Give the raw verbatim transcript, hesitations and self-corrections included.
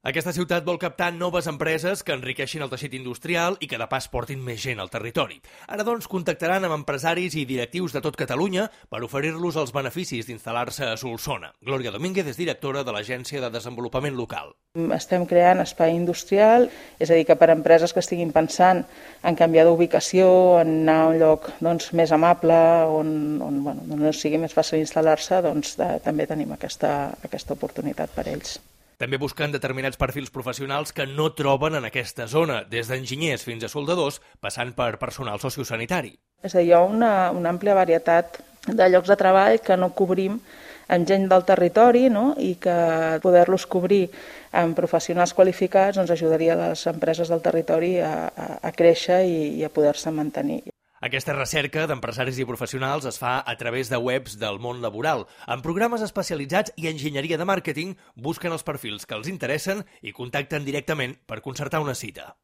Aquesta ciutat vol captar noves empreses que enriqueixin el teixit industrial i que de pas portin més gent al territori. Ara, doncs, contactaran amb empresaris i directius de tot Catalunya per oferir-los els beneficis d'instal·lar-se a Solsona. Glòria Domínguez és directora de l'Agència de Desenvolupament Local. Estem creant espai industrial, és a dir, que per a empreses que estiguin pensant en canviar d'ubicació, en anar a un lloc doncs, més amable, on, on, bueno, on sigui més fàcil instal·lar-se, doncs, de, també tenim aquesta, aquesta oportunitat per a ells. També busquen determinats perfils professionals que no troben en aquesta zona, des d'enginyers fins a soldadors, passant per personal sociosanitari. És a dir, hi ha una, una àmplia varietat de llocs de treball que no cobrim amb gent del territori, no? I que poder-los cobrir amb professionals qualificats doncs, ajudaria a les empreses del territori a, a, a créixer i, i a poder-se mantenir. Aquesta recerca d'empresaris i professionals es fa a través de webs del món laboral. En programes especialitzats i enginyeria de màrqueting busquen els perfils que els interessen i contacten directament per concertar una cita.